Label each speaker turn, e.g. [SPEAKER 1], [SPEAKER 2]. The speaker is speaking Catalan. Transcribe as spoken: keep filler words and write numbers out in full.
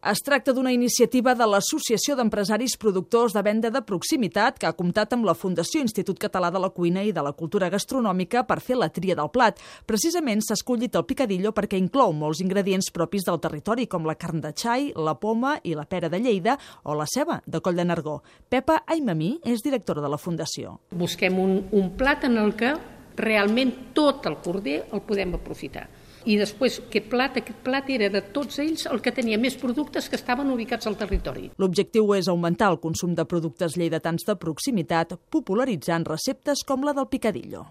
[SPEAKER 1] Es tracta d'una iniciativa de l'Associació d'Empresaris Productors de Venda de Proximitat que ha comptat amb la Fundació Institut Català de la Cuina i de la Cultura Gastronòmica per fer la tria del plat. Precisament s'ha escollit el picadillo perquè inclou molts ingredients propis del territori, com la carn de xai, la poma i la pera de Lleida o la ceba de Coll de Nargó. Pepa Aimamí és directora de la Fundació.
[SPEAKER 2] Busquem un, un plat en el que realment tot el corder el podem aprofitar. I després, aquest plat, aquest plat era de tots ells el que tenia més productes que estaven ubicats al territori.
[SPEAKER 1] L'objectiu és augmentar el consum de productes lleidatans de proximitat, popularitzant receptes com la del picadillo.